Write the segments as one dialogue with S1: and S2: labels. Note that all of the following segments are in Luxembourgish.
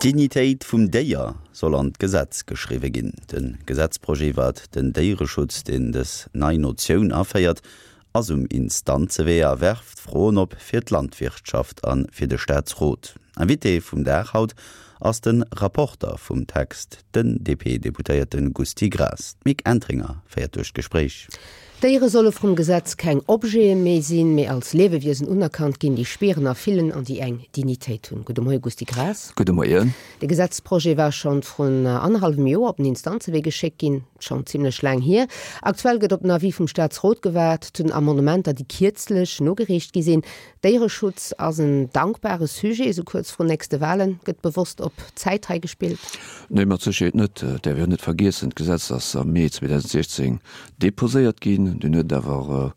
S1: D'Dignitéit vum Déier soll an d'Gesetz geschriwwe ginn. De Gesetzprojet iwwert den Déiereschutz, deen dës nei Notioun aféiert, ass um Instanzewee a werft Froen op fir d'Landwirtschaft a fir de Staatsrot. Invité vum Dag haut ass de Rapporter vum Text, den DP-Deputéierte Gusty Graas. D'Mick Entringer féiert duerch d'Gespréich.
S2: Déiere solle vrum Gesetz keng Objete méi sinn, mee als Liewewiesen unerkannt ginn, déi spieren a fillen an déi eng Dignitéit hunn. Gudde Moie Gusty Graas.
S3: Gudde Moien.
S2: De Gesetzprojet war schonn vrun annerhallwem Joer op den Instanzewee geschéckt ginn. Schonn zimmlech laang hier. Aktuell gëtt op den Avis vum Staatsrot gewaart zu den Amendementer, déi kierzlech nogereecht gi sinn. Déiereschutz ass en dankbare Sujet, esou kuerz vrun nächste Wahlen. Gëtt bewosst op Zäit hei gespillt?
S3: Nee, mat Sécherheet net. Et däerf een och net vergiessen, d'Gesetz ass am Mee 2016 deposéiert ginn. Dunn huet et awer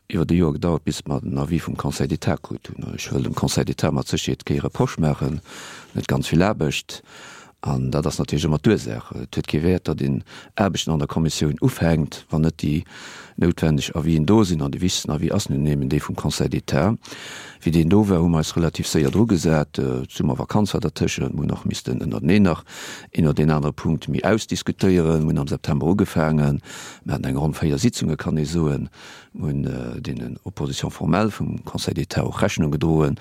S3: iwwert e Joer gedauert, bis mer den Avis vum Conseil d'État krut hunn. Ech wëll dem Conseil d'État mat Sécherheet kee Reproche maachen, en huet ganz vill Aarbecht. An dat ass natierlech ëmmer d'Ursaach. Et huet kee Wäert, datt een Aarbechten an der Kommissioun ufänkt, wann net déi noutwenneg Avisen do sinn. An dee wichtegsten Avis ass nun eeben dee vum Conseil d'État. Wéi deen do war, hu mer eis relativ séier drugesat. D'Summervakanz war dertëschent. Mer hunn och missten ënnerteneen nach een oder deen anere Punkt méi ausdiskutéieren. Mer hunn am September ugefaangen. Mer haten eng ronn 4 Sitzunge, kann ee soen. Mir hunn deenen Oppositions formelles vum Conseil d'État och Rechnung gedroen.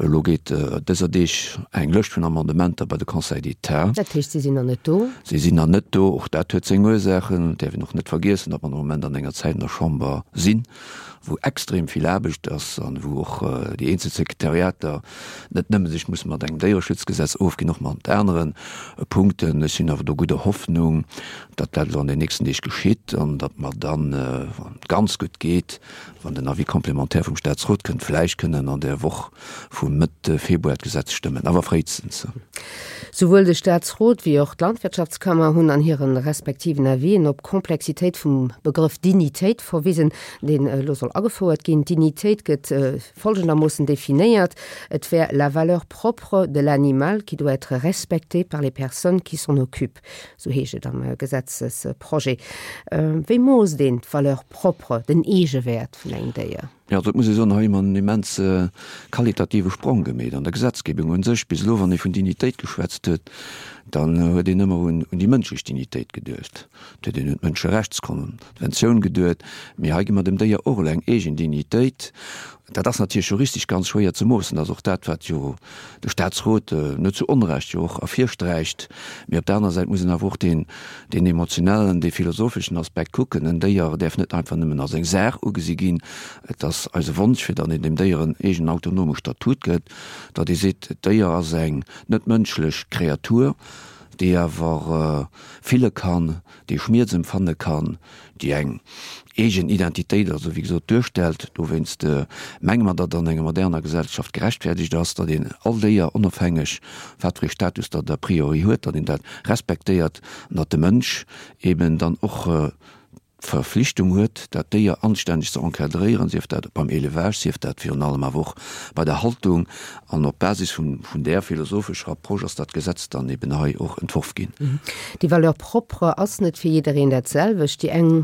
S3: Elo geet dëser Deeg eng Lëscht vun Amendementer bei de Conseil d'État.
S2: Dat heescht, si sinn nach net do?
S3: Si sinn nach net do. Och dat huet seng Ursaachen. Et däerf een och net vergiessen, datt mer am Moment an enger Zäit an der Chamber sinn, wou extrem vill Aarbecht ass an wou och déi eenzel Sekretariater net nëmme sech musse mat engem Déiereschutzgesetz ofginn, och mat anere Punkten. Ech sinn awer do gudder Hoffnung, datt dat elo an den nächsten Deeg geschitt an datt mer dann, wann et ganz gutt geet, wann den Avis complémentaire vum Statsrot kënnt, vläicht kënnen an der Woch vu Mëtt Februar d'Gesetz stëmmen, awer fréistens.
S2: Souwuel de Statsrot wéi och d'Landwirtschaftskammer hunn an hire respektiven Avisen op d'Komplexitéit vum Begrëff Dignitéit verwisen, deen elo soll agefouert ginn. D'Dignitéit gëtt folgendermoossen definéiert, Et wär la valeur propre de l'animal qui doit être respectée par les personnes qui s'en occupent. Sou heescht et am Gesetzesprojet. Wéi moosst een d'Valeur propre, den Eegewäert vun engem Déier?
S3: Jo, dat muss ee soen, hei hu mer en immense qualitative Sprong gemeet an der Gesetzgebung un sech. Bis elo, wann ee vun Dignitéit geschwätzt huet, dann huet een ëmmer un déi mënschlech Dignitéit geduecht, et huet een un d'Mënscherechtskonventioun geduet. Mee hei gi mer dem Déier och elo eng eegen Dignitéit. Dat ass natierlech juristesch ganz schwéier ze moossen. Dat ass och dat, wat jo de Statsrot net zu Onrecht jo och ervirsträicht. Mee op der anerer Säit muss een awer och deen, deen emotionellen, dee philosopheschen Aspekt kucken. En Déier däerf net einfach nëmmen als eng Saach ugesi ginn. Et ass eise Wonsch, fir datt een dem Déier en eegenen autonome Statut gëtt, datt ee seet, d'Déier ass eng net mënschlech Kreatur, déi awer fille kann, déi Schmierz empfanne kann, déi eng eegen Identitéit also wéi gesot duerstellt. Dowéinst menge mer, datt an enger moderner Gesellschaft gerechtfertigt ass, datt een all Déier, onofhängeg wat fir ee Status datt et a priori huet, datt een dat respektéiert an datt de Mënsch eben dann och d'Verflichtung huet, dat Déier anstänneg ze encadréieren, sief dat beim Élevage, sief dat virun allem awer och bei der Haltung. An op Basis vun där philosophescher Approche ass dat Gesetz dann eben hei och entworf ginn.
S2: Déi Valeur propre ass net fir jiddereen dat selwecht. Déi eng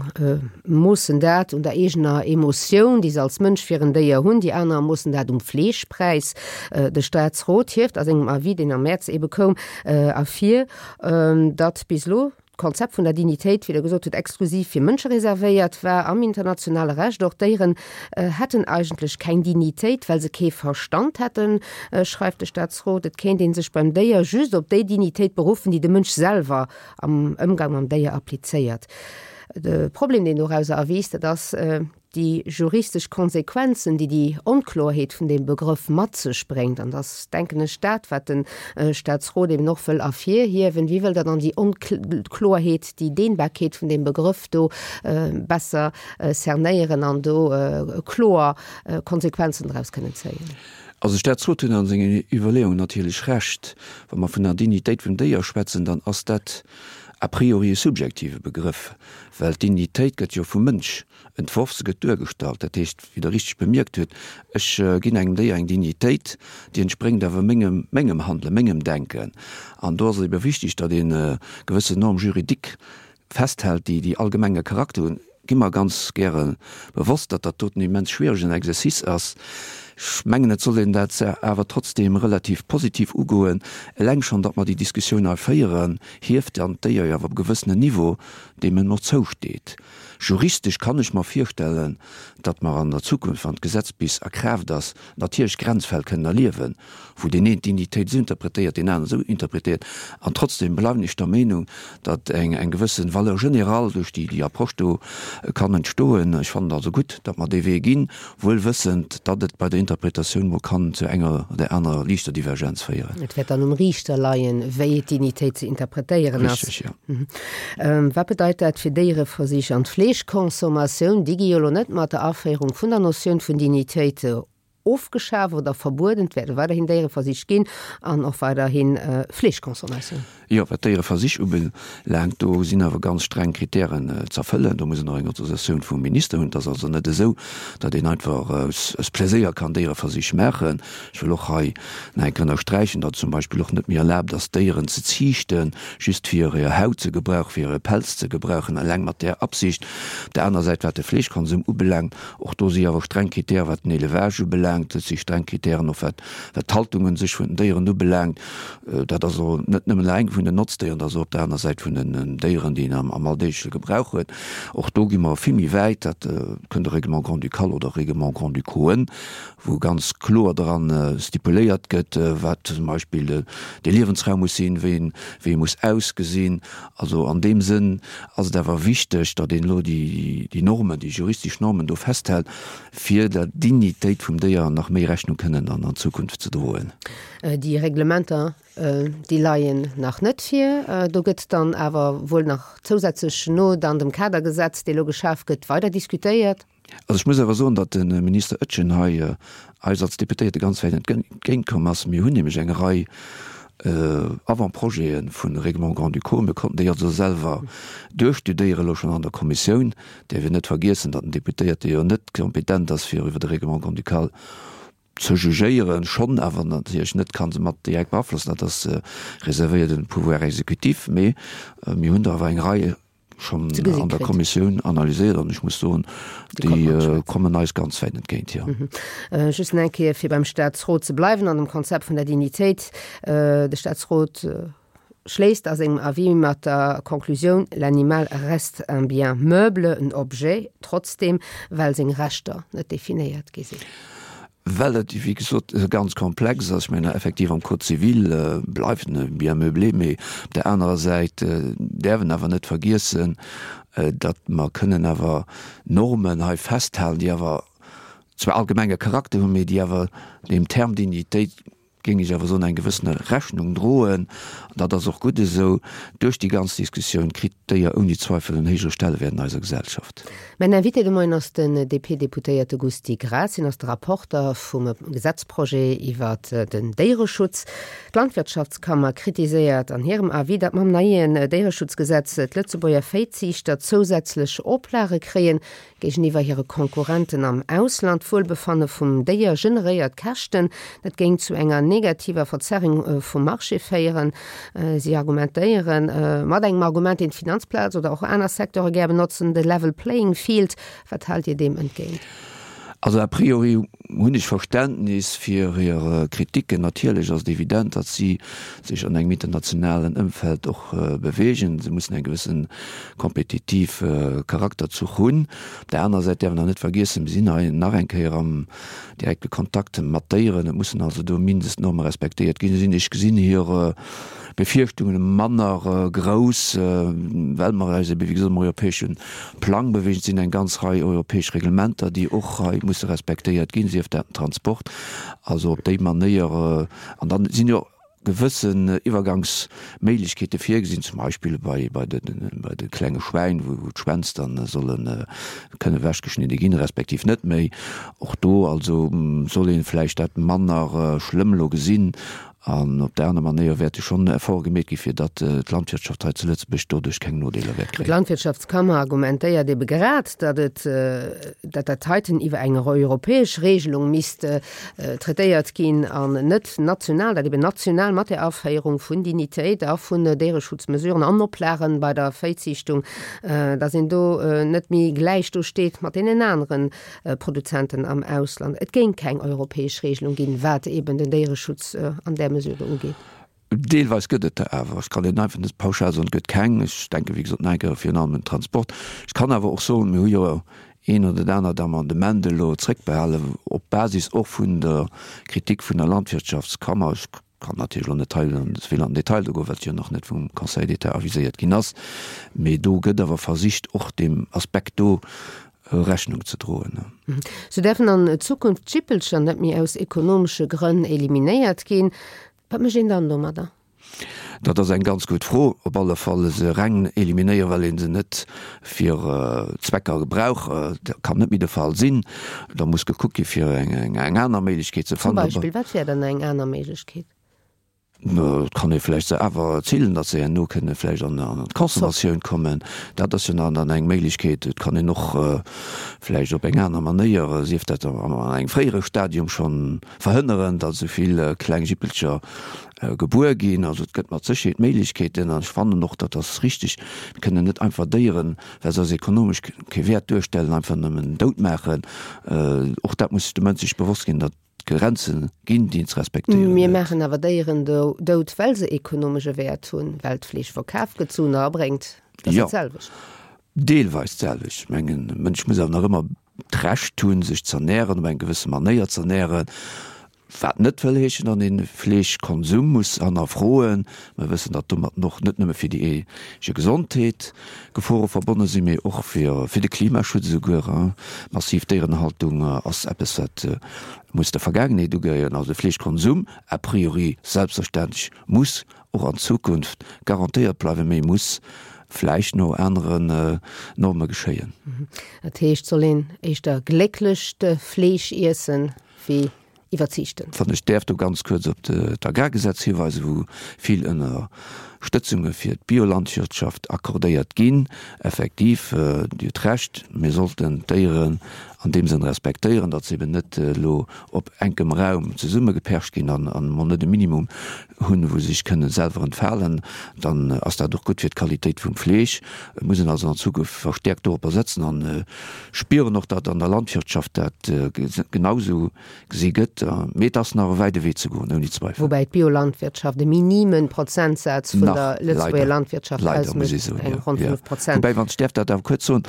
S2: moossen dat un der eegener Emotioun, déi se als Mënsch fir en Déier hunn, déi aner moossen dat um Fleeschpräis. De Staatsrot hieft a sengem Avis, deen am Mäerz ebe koum, ervir, datt bis elo d'Konzept vun der Dignitéit, wéi Der gesot hutt, exklusiv fir Mënsche reservéiert war am internationale Recht. Och Déieren hätten eigentlech keng Dignitéit, well se kee Verstand hätten, schreift de Staatsrot. Et kéint ee sech beim Déier just op déi Dignitéit beruffen, déi de Mënsch selwer am Ëmgang mam Déier applizéiert. De Problem, deen dorauser erwiisst, dat ass, déi juristesch Konsequenzen, déi déi Onkloerheet vun deem Begrëff mat sech bréngt, an dass, denken ech, dat, wat de Statsrot eben och wëll ervirhiewen, wéi wëllt Der dann déi Onkloerheet, déi Dehnbarkeet vun deem Begrëff do besser cernéieren an do kloer Konsequenzen draus kënnen zéien?
S3: Also de Statsrot huet a sengen Iwwerleeungen natierlech Recht. Wa mer vun der Dignitéit vum Déier schwätzen, dann ass dat a priori e subjektive Begrëff, well d'Dignitéit gëtt jo vum Mënsch entworf, se gëtt duergestallt. Dat heescht, wéi Der richteg bemierkt hutt, ech ginn engem Déier eng Dignitéit, déi entspréngt awer mengem, mengem Handelen, mengem Denken. An do ass et ebe wichtig, datt ee gewëssen Normes juridiques festhält, déi déi allgemenge Charakter hunn. Gi mer ganz gäre bewosst, datt dat doten immens schwieregen Exercice ass. Ech mengen, et soll een dat awer trotzdem relativ positiv ugoen. Eleng schonn, datt mer déi Diskussioun hei féieren, hieft dann d'Déier jo awer op e gewëssenen Niveau, deem en och zousteet. Juristesch kann ech mer virstellen, datt mer an der Zukunft, wann d'Gesetz bis a Kraaft ass, natierlech Grenzfäll kënnen erliewen, wou deen een d'Dignitéit esou interpretéiert, deen aneren esou interpretéiert. An trotzdem bleiwen ech der Meenung, datt eng eng gewësse Valeur générale duerch déi déi Approche do kann entstoen. Ech fannen et also gutt, datt mer dee Wee ginn, wuel wëssend, datt et bei der Interpretatioun mol kann zu enger oder anerer liichter Divergenz féieren.
S2: Et wäert dann um Riichter leien, wéi d'Dignitéit ze interpretéieren ass.
S3: Richtig, jo.
S2: Wat bedeit dat fir Déiereversich an d'Fleeschconsommatioun? Déi gi jo elo net mat der Aféierung vun der Notioun vun Dignitéit ofgeschaf oder verbueden. Et wäerte weiderhin Déiereversich ginn an och weiderhi Fleeschconsommatioun.
S3: Jo, wat d'Déiereversich ubelaangt, do sinn awer ganz streng Kritären z'erfëllen. Do muss een och eng Autorisatioun vum Minister hunn. Et ass also net esou, datt een einfach aus Pläséier kann Déiereversich maachen. Ech wëll och hei nach eng Kéier ënnersträichen, datt et zum Beispill och net méi erlaabt ass, Déieren ze ziichten, just fir hir Haut ze gebrauchen, fir hire Pelz ze gebrauchen, eleng mat där Absicht. Op där anerer Säit, wat de Fleeschkonsum ubelaangt, och do si awer streng Kritären, wat den Élevage ubelaangt. Et si streng Kritären och wat d'Haltung un sech vun den Déieren ubelaangt. Dat ass och net nëmmen eleng vun den Notzdéieren, dat ass och op der aner Säit vun den Déieren, déi een am alldeegleche Gebrauch huet. Och do gi mer vill méi wäit. Dat kënnt de Règlement grand-ducal oder Règlement grand-ducauxen, wou ganz kloer dran stipuléiert gëtt, wat zum Beispill de Liewensraum muss sinn, wéi en wéi e muss ausgesinn. Also an deem Sënn ass et awer wichteg, datt een elo déi déi Normen, déi juristesch Normen do festhält, fir der Dignitéit vum Déier nach méi Rechnung kënnen an an Zukunft ze droen.
S2: Déi Reglementer, déi leien nach net vir. Do gëtt dann awer wuel nach zousätzlech no dann dem Kadergesetz, dee lo geschaf gëtt, weider diskutéiert.
S3: Also ech muss awer soen, datt de Minister Oetjen hei eis als Deputéierte ganz wäit entgéintkomm ass. Mir hunn nämlech eng Rei Avant-projete vu Règlements grand-ducaux. Mir konnten déi also selwer duerchstudéieren, elo schonn an der Kommissioun. Däerf een net vergiessen, datt den Deputéierte jo net kompetent ass, fir iwwer e Règlement grand-ducal ze jugéieren, schonn awer natierlech net ka se mat direkt beaflossen. Dat ass reservéiert un de Pouvoir exécutif. Mee mir hunn der awer eng Rei schonn an der Kommissioun analyséiert an ech muss soen, déi kommen eis ganz wäit entgéint, jo.
S2: Just nach eng Kéier, fir beim Statsrot ze bleiwen an dem Konzept vun der Dignitéit. De Statsrot schléisst a sengem Avis mat der Konklusioun, L'animal reste un bien meuble, un objet, trotzdem, well seng Rechter net definéiert gi sinn.
S3: Well et, wéi gesot, ganz komplex ass. Ech mengen, effektiv am Code civil bleift en e Bien meublé, mee op där anerer Säit däerf en awer net vergiessen, datt mer kënnen awer Normen hei festhalen, déi awer zwar allgemenge Charakter hunn, mee déi awer deem Terme Dignitéit, géing ech awer soen, eng gewëssene Rechnung droen. An dat ass och gutt esou. Duerch déi ganz Diskussioun kritt d'Déier ouni Zweifel en héijere Stellewäert an eiser Gesellschaft.
S2: Mäin Invité de Moien ass den DP-Deputéierte Gusty Graas. Hien ass de Rapporter vum Gesetzprojet iwwer den Déiereschutz. D'Landwirtschaftskammer kritiséiert an hirem Avis, datt mam neien Déiereschutzgesetz d'Lëtzebuerger Véiziichter zousätzlech Oplage kréien, Géigeniwwer hire Konkurrenten am Ausland. D'Wuelbefanne vum Déier generéiert Käschten. Dat géing zu enger negativer Verzerrung vum Marché féieren. Si argumentéiere mat engem Argument, deen d'Finanzplaz oder och aner Secteure gär benotzen, de level playing field. Wat haalt Dir deem entgéint?
S3: Also a priori hunn ech Verständnis fir hir Kritiken. Natierlech ass et evident, datt si sech an engem internationalen Ëmfeld och beweegen. Se mussen eng gewësse kompetitiv Charakterzuch hunn. Op där anerer Säit däerf een awer net vergiessen, mir sinn hei nach eng Kéier am direkte Kontakt mat Déieren. Et mussen also do Mindestnorme respektéiert ginn. Ech gesinn hir Befierchtungen manner grouss, well mer eis ebe wéi gesot am europäesche Plang beweegen. Et sinn eng ganz Rei europäesch Reglementer, déi och hei musse respektéiert ginn, sief dat den Transport. Also op déi Manéier, an dann sinn jo gewëssen Iwwergangsméiglechkeete virgesinn, zum Beispill bei bei de bei de klenge Schwäin, wou d'Schwänz dann solle kënne ewechgeschnidde ginn, respektiv net méi. Och do also soll ee vläicht dat manner schlëmm elo gesinn. An op där aner Manéier wäerte schonn Efforte gemeet gi fir datt d'Landwirtschaft hei zu Lëtzebuerg doduerch keng Nodeeler wäert kréien.
S2: D'Landwirtschaftskammer argumentéiert ebe grad, datt et, datt dat heiten iwwer eng europäesch Regelung misst traitéiert ginn an net national, datt eben national mat der Aféierung vun Dignitéit a vun Déiereschutzmesuren an Oplagen bei der Véiziichtung, datt een do net méi gläich do steet mat deenen aneren Produzenten am Ausland. Et géing keng europäesch Regelung ginn, wat eben den Déiereschutz an där Mesure do ugeet.
S3: Deelweis gëtt et der awer. Ech kann net einfach net pauschal soen, et gëtt keng. Ech denke wéi gesot nach eng Kéier virun allem un den Transport. Ech kann awer och soen, mir hu jo een oder dat anert Amendement elo zréckbehalen, op Basis och vun der Kritik vun der Landwirtschaftskammer. Ech kann natierlech elo net hei ze vill an den Detail do goen, well et jo nach net vum Conseil d'État aviséiert ginn ass, mee do gëtt awer versicht, och deem Aspekt do Rechnung ze droen.
S2: Sou däerfen an Zukunft d'Jippelcher net méi aus ekonomesche Grënn eliminéiert ginn. Wat mécht een dann domadder?
S3: Dat ass eng ganz gutt Fro. Op alle Fall se reng eliminéieren, well ee se net fir Zwecker gebrauch, dat kann net méi de Fall sinn. Da muss gekuckt gi fir eng aner Méiglechkeet ze
S2: fannen. Zum Beispill, wat wär dann eng aner Méiglechkeet?
S3: Et kann ee vläicht se awer zillen, datt se herno kënne vläicht an d'Consommatioun kommen. Dat ass jo nach dann eng Méiglechkeet. Et kann een och vläicht op eng aner Manéier, sief dat an engem fréiere Stadium schonn, verhënneren, datt esou vill kleng Jippelcher gebuer ginn. Also et gëtt mat Sécherheet Méiglechkeeten an ech fannen och, dat ass richtig, mir kënnen net einfach Déieren, well se eis ekonomesch kee Wäert duerstellen, einfach nëmmen dout maachen. Och dat muss de Mënsch sech bewosst ginn, datt et Grenze ginn, déi een ze respektéieren
S2: huet. Mir maachen awer Déieren dout, well se ekonomesch e Wäert hunn, well d'Fleesch verkaf gëtt, Suen erabréngt. Dat ass dat selwecht.
S3: Jo, deelweis d'selwecht. Ech mengen, e Mënsch muss awer nach ëmmer d'Recht hunn, sech z'ernären, op eng gewësse Manéier z'ernären. Wat net wëll heeschen, datt een Fleeschkonsum muss hannerfroen. Mer wëssen, datt domatten och net nëmme fir déi eege Gesondheet Gefore verbonne sinn, mee och fir fir de Klimaschutz esouguer. Massiv Déierenhaltung ass eppes, wat muss der Vergaangenheet ugehéieren. Also de Fleeschkonsum a priori selbstverständlech muss och an Zukunft garantéiert bleiwen, mee muss vläicht no aneren Norme geschéien.
S2: Dat heescht, soll een éischter glécklecht Fleesch iessen, wéi iwwerziichten.
S3: Wann ech däerf do ganz kuerz op d'Agrargesetz hiweisen, wou vill Ënnerstëtzunge fir d'Biolandwirtschaft accordéiert ginn. Effektiv, Dir hutt Recht, mir sollten d'Déieren an deem Sënn respektéieren, datt se eben net elo op enkem Raum zesummegepercht ginn an emol net e Minimum hunn, wou se sech kënnen selwer entfalen. Dann ass dat och gutt fir d'Qualitéit vum Fleesch. Et muss een also an Zukunft verstäerkt doropper setzen an spieren och, datt an der Landwirtschaft dat genausou gesi gëtt. Mee et ass nach e wäide Wee ze goen, ouni Zweifel.
S2: Woubäi d'Biolandwirtschaft e minime Prozentsaz vun der Lëtzebuerger Landwirtschaft ausmécht, eng ronn 5 Prozent.
S3: Woubäi, wann ech däerf dat awer kuerz soen,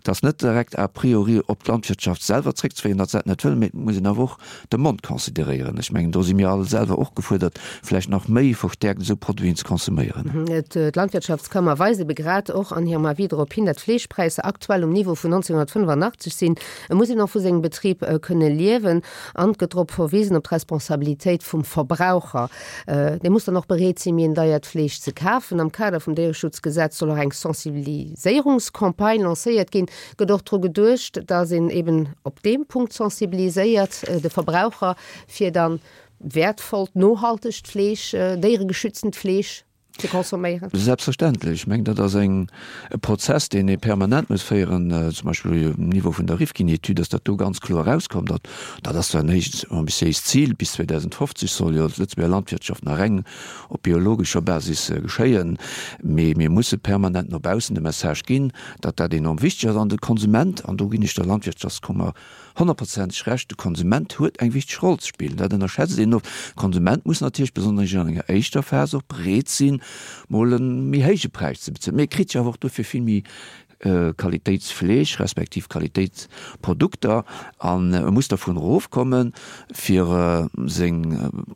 S3: et ass net direkt a priori op d'Landwirtschaft selwer zréckzeféieren, datt se dat net wëll, mee et muss een awer och de Mond consideréieren. Ech mengen, do si mir all selwer och gefuerdert, vläicht nach méi verstäerkt esou Produiten ze consomméieren.
S2: D'Landwirtschaftskammer weist ebe grad och an hirem Avis drop hin, datt d'Fleeschpräisser aktuell um Niveau vun 1985 sinn. Et muss een och vu sengem Betrib kënne liewen an et gëtt drop verwisen op d'Responsabilitéit vum Verbraucher. Dee muss dann och bereet sinn, méi en deiert Fleesch ze kafen. Am Kader vum Déiereschutzgesetz soll och eng Sensibiliséierungscampagne lancéiert ginn. Gëtt och dru geduecht, datt een eben op deem Punkt sensibiliséiert, de Verbraucher, fir dann wäertvollt, nohaltegt Fleesch, déieregeschütztent Fleesch ze consomméieren?
S3: Selbstverständlech. Ech mengen, dat ass eng, e Prozess, deen ee permanent muss féieren, zum Beispill um Niveau vun der Rifkin-Etüd ass dat do ganz kloer erauskomm, datt, dat ass zwar en héicht ambitiéist Zil, bis 2050 soll jo d'Lëtzebuerger Landwirtschaft nach reng op biologescher Basis geschéien, mee mir musse permanent no baussen de Message ginn, datt dat enorm wichteg ass an de Konsument, an do ginn ech der Landwirtschaftskummer honnertprozenteg Recht, de Konsument huet eng wichteg Roll ze spillen. Dat ënnerschätzt een oft. De Konsument muss natierlech besonnesch an enger éischter Phas och bereet sinn, mol e méi héije Präis ze bezuelen, mee e kritt jo awer och dofir vill méi Qualitéitsfleesch respektiv Qualitéitsprodukter an e muss dervun erofkommen, fir seng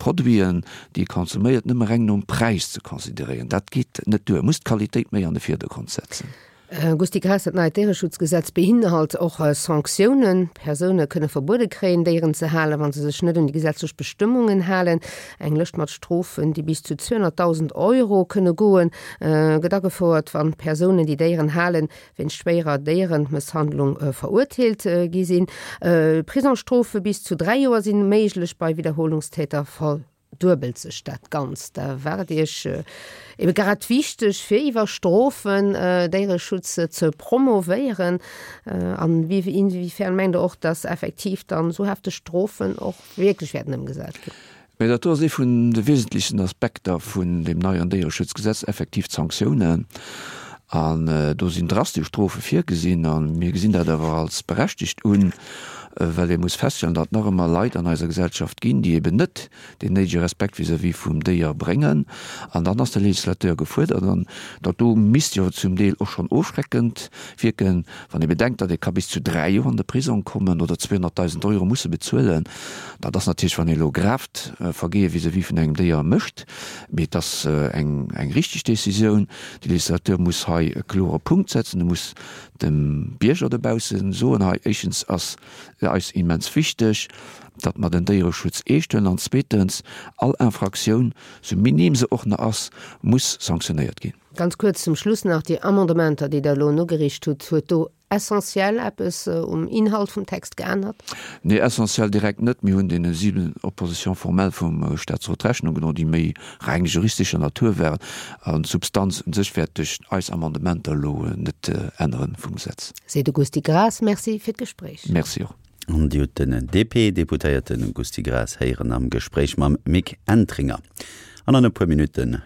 S3: Produiten, déi e konsuméiert, nëmme reng nom Präis ze consideréieren. Dat geet net duer. E muss d'Qualitéit méi an de Virdergrond setzen.
S2: Gusty Graas, Dat neit Déiereschutzgesetz beinhalt och Sanktiounen. Persoune kënne verbuede kréien, Déieren ze halen, wa se sech net un déi gesetzlech Bestëmmungen halen. Eng Lëscht mat Strofen, déi bis zu 200.000 Euro kënne goen, gëtt agefouert, wann Persounen, déi Déieren halen, wéinst schwéierer Déieremësshandlung verurteelt gi sinn. Prisongsstrofe bis zu 3 Joer si méiglech bei Widderholungstäter. duebelt sech dat Ganzt. Da war et Iech ebe grad wichteg, fir iwwer Strofen Déiereschutz ze promovéieren. An inwiefern mengt Der och, dass effektiv dann esou hefteg Strofen och wierklech wäerten ëmgesat ginn?
S3: Mä dat do ass ee vun de wesentlichsten Aspekter vun deem neien Déiereschutzgesetz, effektiv d'Sanktiounen. An do sinn drastesch Strofe virgesinn. A mir gesinn dat awer als berechtigt un, well ee muss feststellen, datt nach ëmmer Leit an eiser Gesellschaft ginn, déi eben net deen néidege Respekt vis-à-vis vum Déier bréngen. An dann ass de Législateur gefuerdert. An dat do misst jo zum Deel och schonn ofschreckend wierken, wann ee bedenkt, datt ee ka bis zu 3 Joer an de Prisong kommen oder 200.000 Euro musse bezuelen. Dat ass natierlech, wann ee elo gravt Vergehe vis-à-vis vun engem Déier mécht. Mee et ass eng eng richteg Décisioun. De Législateur muss hei e klore Punkt setzen. E muss dem Bierger dobausse soen, hei éischtens ass eis immens wichteg, datt mer den Déiereschutz eescht huelen an zweetens, all Infraktioun, sou minim se och nach ass, muss sanktionéiert ginn.
S2: Ganz kuerz zum Schluss nach, Déi Amendementer, déi Der elo nogeriicht hutt, huet do essentiell eppes um Inhalt vum Text geännert?
S3: Nee, essentiell direkt net. Mir hunn deene 7 Oppositions formelles vum Statsrot Rechnung gedroen, déi méi reng juristescher Natur waren. An d'Substanz u sech wäert duerch eis Amendementer elo net änneren vum Gesetz.
S2: Seet de Gusty Graas. Merci fir d'Gespréich.
S3: Merci och.
S1: An Dir hutt den DP-Deputéierte Gusty Graas héieren am Gespréich mam Mick Entringer. An an e puer Minutten.